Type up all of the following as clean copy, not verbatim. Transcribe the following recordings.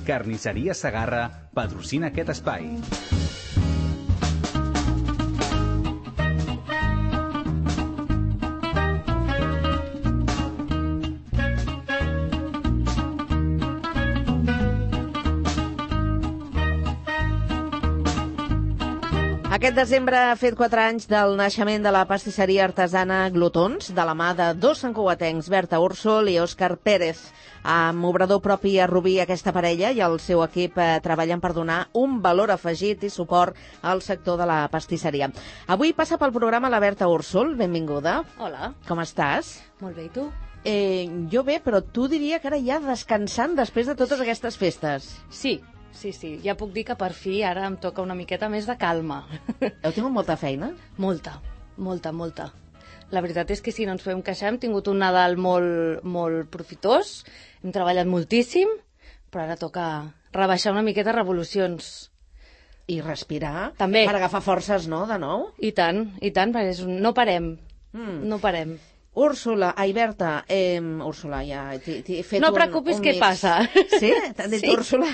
Carnisseria Segarra patrocina aquest espai. Aquest desembre ha fet 4 anys del naixement de la pastisseria artesana Glutons, de la mà de dos santcugatencs, Berta Úrsol i Òscar Pérez. Amb obrador propi a Rubí, aquesta parella i el seu equip treballen per donar un valor afegit i suport al sector de la pastisseria. Avui passa pel programa la Berta Úrsol. Benvinguda. Hola. Com estàs? Molt bé, i tu? Jo bé, però tu diria que ara ja descansant després de totes aquestes festes. Sí. Ja puc dir que per fi ara em toca una miqueta més de calma. Heu tingut molta feina? Molta. La veritat és que sí, no ens podem queixar. Hem tingut un Nadal molt profitós, hem treballat moltíssim, però ara toca rebaixar una miqueta revolucions. I respirar? També. Per agafar forces, no?, de nou? I tant, perquè no parem. No parem. Úrsula, Berta, Úrsula, ja t'he fet no preocupis, què passa? Sí? T'han dit sí. Úrsula?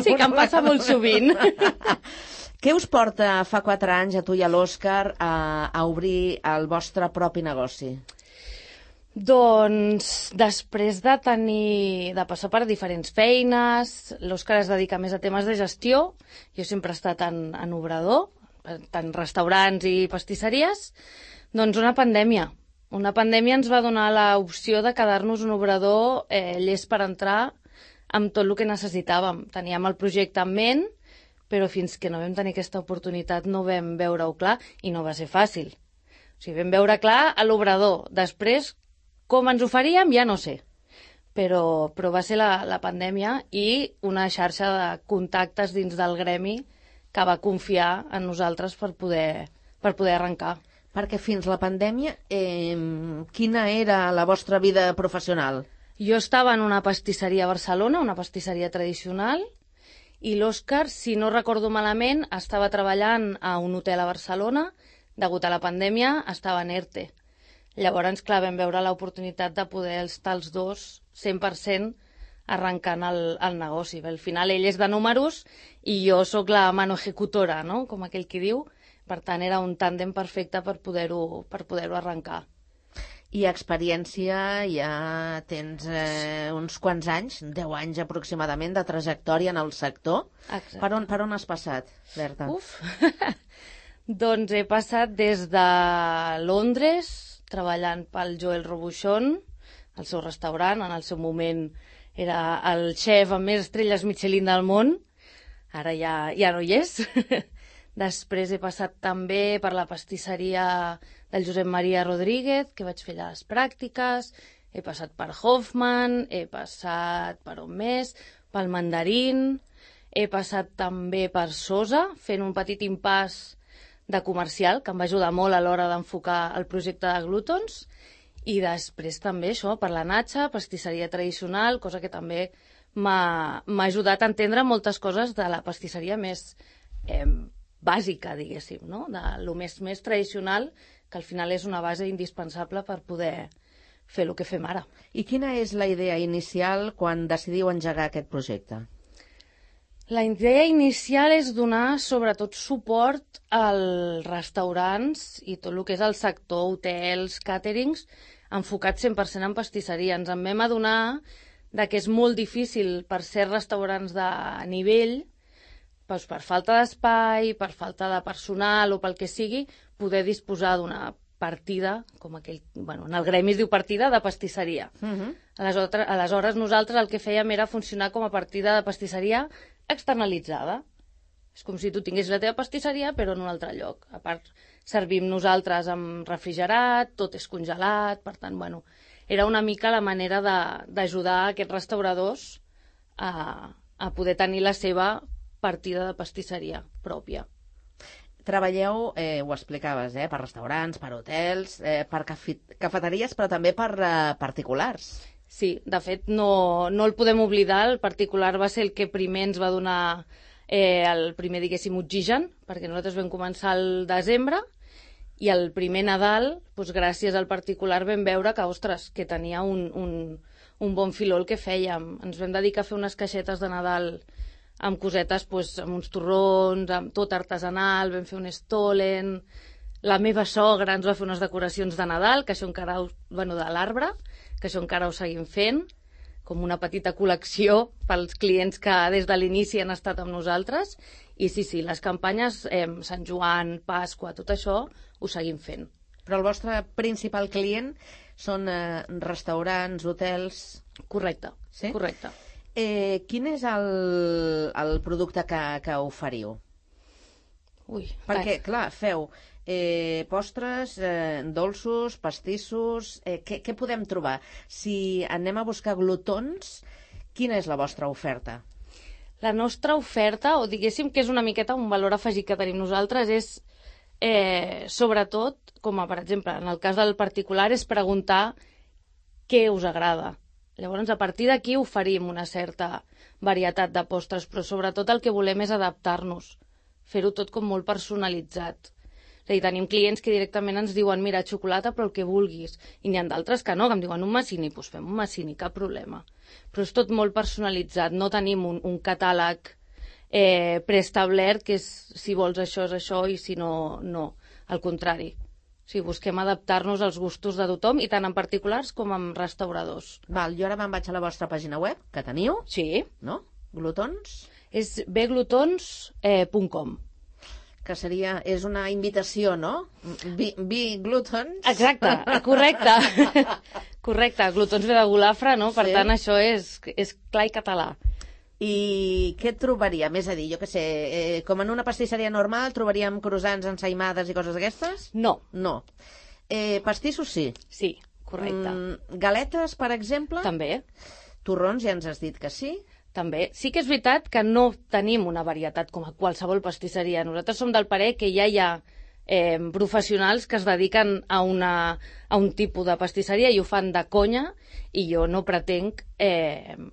Sí, que em passa molt sovint. Què us porta fa 4 anys a tu i a l'Òscar a obrir el vostre propi negoci? Doncs després de passar per diferents feines, l'Òscar es dedica més a temes de gestió, jo sempre he estat en obrador, tant restaurants i pastisseries, doncs una pandèmia. Una pandèmia ens va donar l'opció de quedar-nos un obrador llest per entrar amb tot el que necessitàvem. Teníem el projecte en ment, però fins que no vam tenir aquesta oportunitat no vam veure-ho clar i no va ser fàcil. O sigui, vam veure clar a l'obrador. Després, com ens ho faríem, ja no sé. Però va ser la pandèmia i una xarxa de contactes dins del gremi que va confiar en nosaltres per poder arrencar. Perquè fins la pandèmia, quina era la vostra vida professional? Jo estava en una pastisseria a Barcelona, una pastisseria tradicional, i l'Òscar, si no recordo malament, estava treballant a un hotel a Barcelona, degut a la pandèmia, estava en ERTE. Llavors, clar, vam veure l'oportunitat de poder estar els dos 100% arrencant el negoci. Al final, ell és de números i jo sóc la mano ejecutora, no?, com aquell qui diu. Per tant, era un tàndem perfecte per poder-ho arrencar. I experiència, ja tens uns quants anys, 10 anys aproximadament, de trajectòria en el sector. Exacte. Per on has passat, Berta? Doncs he passat des de Londres, treballant pel Joel Robuchon, al seu restaurant. En el seu moment era el xef amb més estrelles Michelin del món. Ara ja no hi és. Després he passat també per la pastisseria del Josep Maria Rodríguez, que vaig fer allà les pràctiques. He passat per Hoffman, he passat per on més, pel Mandarín. He passat també per Sosa, fent un petit impàs de comercial, que em va ajudar molt a l'hora d'enfocar el projecte de Glutons. I després també això, per la Natxa, pastisseria tradicional, cosa que també m'ha ajudat a entendre moltes coses de la pastisseria més bàsica, diguéssim, no?, de lo més tradicional, que al final és una base indispensable per poder fer el que fem ara. I quina és la idea inicial quan decidiu engegar aquest projecte? La idea inicial és donar sobretot suport als restaurants i tot el que és el sector, hotels, càterings, enfocat 100% en pastisseria. Ens en vam adonar que és molt difícil per ser restaurants de nivell, per falta d'espai, per falta de personal o pel que sigui, poder disposar d'una partida, com aquell, en el gremi es diu partida de pastisseria. Aleshores nosaltres el que fèiem era funcionar com a partida de pastisseria externalitzada. És com si tu tinguessis la teva pastisseria però en un altre lloc. A part, servim nosaltres amb refrigerat, tot és congelat, per tant, era una mica la manera d'ajudar aquests restauradors a poder tenir la seva partida de pastisseria pròpia. Treballeu, ho explicaves, per restaurants, per hotels, per cafeteries, però també per particulars. Sí, de fet, no el podem oblidar. El particular va ser el que primer ens va donar el primer, diguéssim, oxigen, perquè nosaltres vam començar al desembre i el primer Nadal, gràcies al particular, vam veure que, ostres, que tenia un un bon filó el que fèiem. Ens vam dedicar a fer unes caixetes de Nadal amb cosetes, amb uns torrons, amb tot artesanal, vam fer un stolen. La meva sogra ens va fer unes decoracions de Nadal, que això encara, de l'arbre, que això encara ho seguim fent, com una petita col·lecció pels clients que des de l'inici han estat amb nosaltres. I sí, les campanyes, Sant Joan, Pasqua, tot això, ho seguim fent. Però el vostre principal client són restaurants, hotels... Correcte, sí? Correcte. Quin és el producte que oferiu? Perquè, clar, feu postres, dolços, pastissos... Què podem trobar? Si anem a buscar glutons, quina és la vostra oferta? La nostra oferta, o diguéssim que és una miqueta un valor afegit que tenim nosaltres, és sobretot, com per exemple, en el cas del particular, és preguntar què us agrada. Llavors, a partir d'aquí oferim una certa varietat de postres, però sobretot el que volem és adaptar-nos, fer-ho tot com molt personalitzat. És a dir, tenim clients que directament ens diuen mira, xocolata, però el que vulguis. I n'hi ha d'altres que no, que em diuen un massini, doncs fem un massini, cap problema. Però és tot molt personalitzat, no tenim un catàleg preestablert que és si vols això és això i si no, no. Al contrari. O sigui, busquem adaptar-nos als gustos de tothom i tant en particulars com en restauradors. Val, jo ara me'n vaig a la vostra pàgina web, que teniu. Sí. No? Glutons? És beglutons.com. Que és una invitació, no? Be glutons. Exacte, correcte. Correcte, glutons ve de golafre, no? Per tant, això és clar i català. I què trobaríem? És a dir, jo què sé, com en una pastisseria normal trobaríem croissants, ensaïmades i coses d'aquestes? No. No. Pastissos sí? Sí, correcte. Galetes, per exemple? També. Torrons, ja ens has dit que sí? També. Sí que és veritat que no tenim una varietat com a qualsevol pastisseria. Nosaltres som del parer que ja hi ha professionals que es dediquen a un tipus de pastisseria i ho fan de conya i jo no pretenc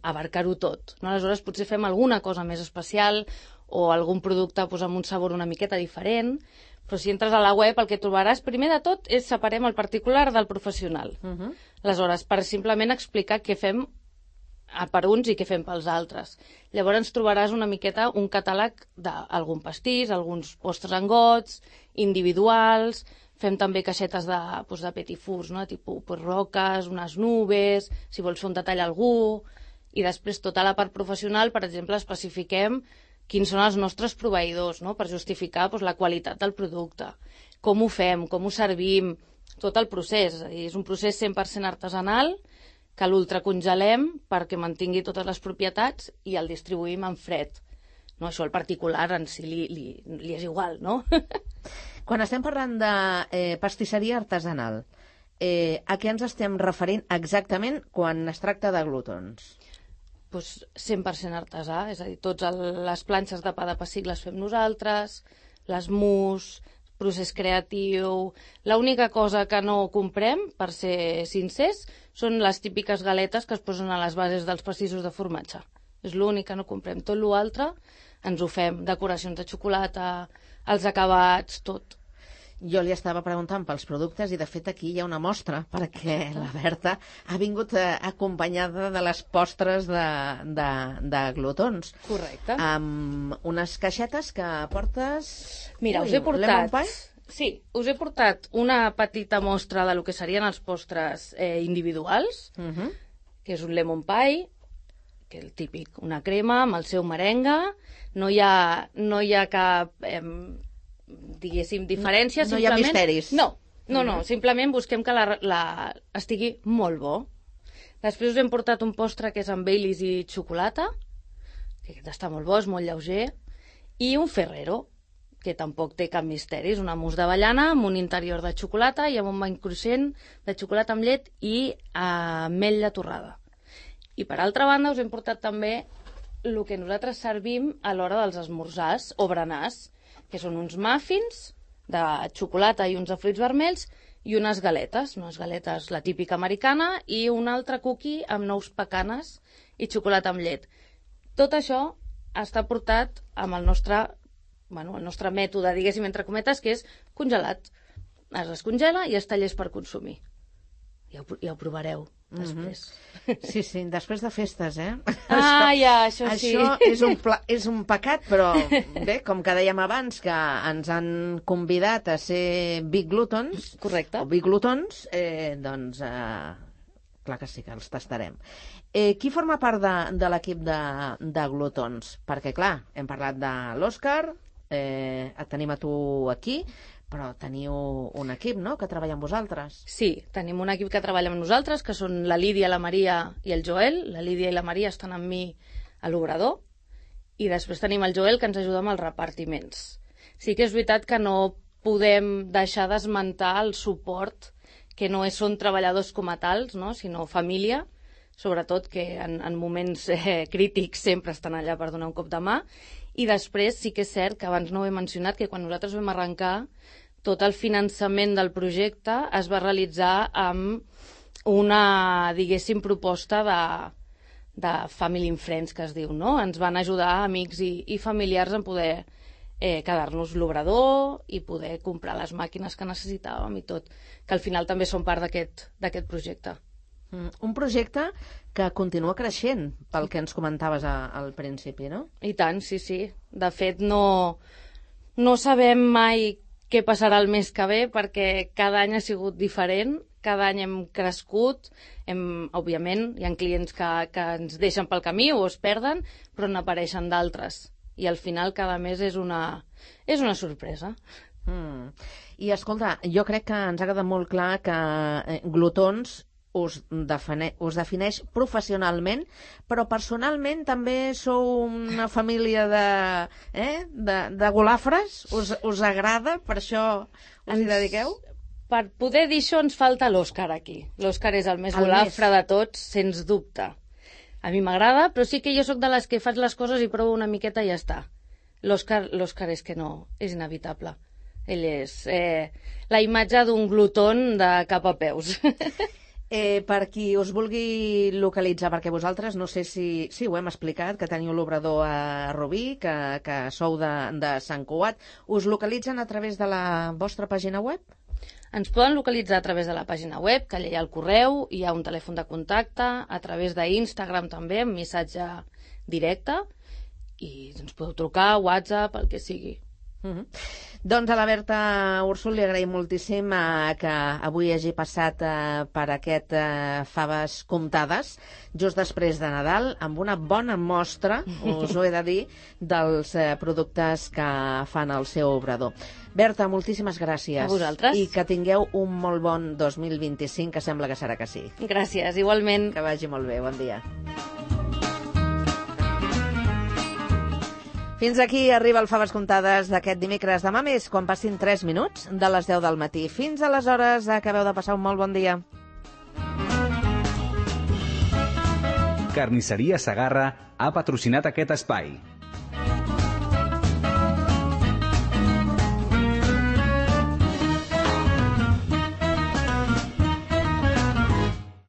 abarcar-ho tot. No? Aleshores potser fem alguna cosa més especial o algun producte amb un sabor una miqueta diferent, però si entres a la web el que trobaràs primer de tot és separem el particular del professional. Aleshores, per simplement explicar què fem per uns i què fem pels altres. Llavors ens trobaràs una miqueta un catàleg d'algun pastís, alguns postres en gots, individuals, fem també caixetes de petit fours, no? Tipus roques, unes nubes, si vols fer un detall a algú, i després tota la part professional, per exemple, especifiquem quins són els nostres proveïdors, no? Per justificar la qualitat del producte, com ho fem, com ho servim, tot el procés. És a dir, és un procés 100% artesanal, que l'ultracongelem perquè mantingui totes les propietats i el distribuïm en fred. No, això al particular en si li és igual, no? Quan estem parlant de pastisseria artesanal, a què ens estem referint exactament quan es tracta de glutons? Doncs 100% artesà, és a dir, totes les planxes de pa de pessic les fem nosaltres, les mousse, procés creatiu... L'única cosa que no comprem, per ser sincers, són les típiques galetes que es posen a les bases dels pastissos de formatge. És l'únic que no comprem. Tot l'altre ens ho fem. Decoracions de xocolata, els acabats, tot. Jo li estava preguntant pels productes i de fet aquí hi ha una mostra perquè la Berta ha vingut acompanyada de les postres de glutons. Correcte. Amb unes caixetes que portes... Mira, us he portat... Sí, us he portat una petita mostra de lo que serien els postres individuals, que és un lemon pie, que és el típic, una crema amb el seu merengue, no hi ha cap... diguéssim, diferència. No hi ha misteris. No, simplement busquem que estigui molt bo. Després us hem portat un postre que és amb Baileys i xocolata, que està molt bo, és molt lleuger, i un Ferrero, que tampoc té cap misteri, és una mousse d'avellana amb un interior de xocolata i amb un bany cruixent de xocolata amb llet i ametlla torrada. I per altra banda us hem portat també el que nosaltres servim a l'hora dels esmorzars o berenars, que són uns muffins de xocolata i uns de fruits vermells i unes galetes, la típica americana, i un altre cookie amb nous pecanes i xocolata amb llet. Tot això està portat amb el nostre mètode, diguéssim, entre cometes, que és congelat. Es descongela i es tallés per consumir. Ja ho provareu després. Sí, després de festes, eh? Això sí. Això és un pecat, però bé, com que dèiem abans que ens han convidat a ser Big Glutons, correcte, o Big Glutons, doncs clar que sí que els tastarem. Qui forma part de l'equip de Glutons? Perquè clar, hem parlat de l'Òscar, et tenim a tu aquí, però teniu un equip, no?, que treballa amb vosaltres. Sí, tenim un equip que treballa amb nosaltres, que són la Lídia, la Maria i el Joel. La Lídia i la Maria estan amb mi a l'obrador. I després tenim el Joel, que ens ajuda amb els repartiments. Sí que és veritat que no podem deixar d'esmentar el suport, que no són treballadors com a tals, no?, sinó família, sobretot que en moments crítics sempre estan allà per donar un cop de mà. I després sí que és cert que abans no ho he mencionat, que quan nosaltres vam arrencar, tot el finançament del projecte es va realitzar amb una, diguéssim, proposta de family and friends, que es diu, no? Ens van ajudar amics i familiars en poder quedar-nos l'obrador i poder comprar les màquines que necessitàvem i tot, que al final també són part d'aquest projecte. Un projecte que continua creixent, pel que ens comentaves al principi, no? I tant, sí. De fet, no sabem mai què passarà el mes que ve, perquè cada any ha sigut diferent, cada any hem crescut, òbviament hi ha clients que ens deixen pel camí o es perden, però n'apareixen d'altres. I al final cada mes és una sorpresa. I escolta, jo crec que ens ha quedat molt clar que Glutons us defineix professionalment, però personalment també sou una família de golafres? Us agrada? Per això us hi dediqueu? Per poder dir això ens falta l'Òscar aquí. L'Òscar és el més golafre de tots, sens dubte. A mi m'agrada, però sí que jo sóc de les que faig les coses i provo una miqueta i ja està. L'Òscar és que no, és inevitable. Ell és la imatge d'un glutón de cap a peus. Per qui us vulgui localitzar, perquè vosaltres, no sé si ho hem explicat, que teniu l'obrador a Rubí, que sou de Sant Cugat, us localitzen a través de la vostra pàgina web? Ens poden localitzar a través de la pàgina web, que allà hi ha el correu, hi ha un telèfon de contacte, a través d'Instagram també, amb missatge directe, i ens podeu trucar, WhatsApp, el que sigui. Doncs a la Berta Úrsol li agraïm moltíssim que avui hagi passat per aquest Faves Comptades just després de Nadal, amb una bona mostra, us ho he de dir, dels productes que fan al seu obrador. Berta, moltíssimes gràcies. A vosaltres. I que tingueu un molt bon 2025, que sembla que serà que sí. Gràcies, igualment. Que vagi molt bé, bon dia. Fins aquí arriba el Faves Comptades d'aquest dimecres. Demà més, quan passin 3 minuts de les 10 del matí. Fins aleshores, acabeu de passar un molt bon dia. Carnisseria Segarra ha patrocinat aquest espai.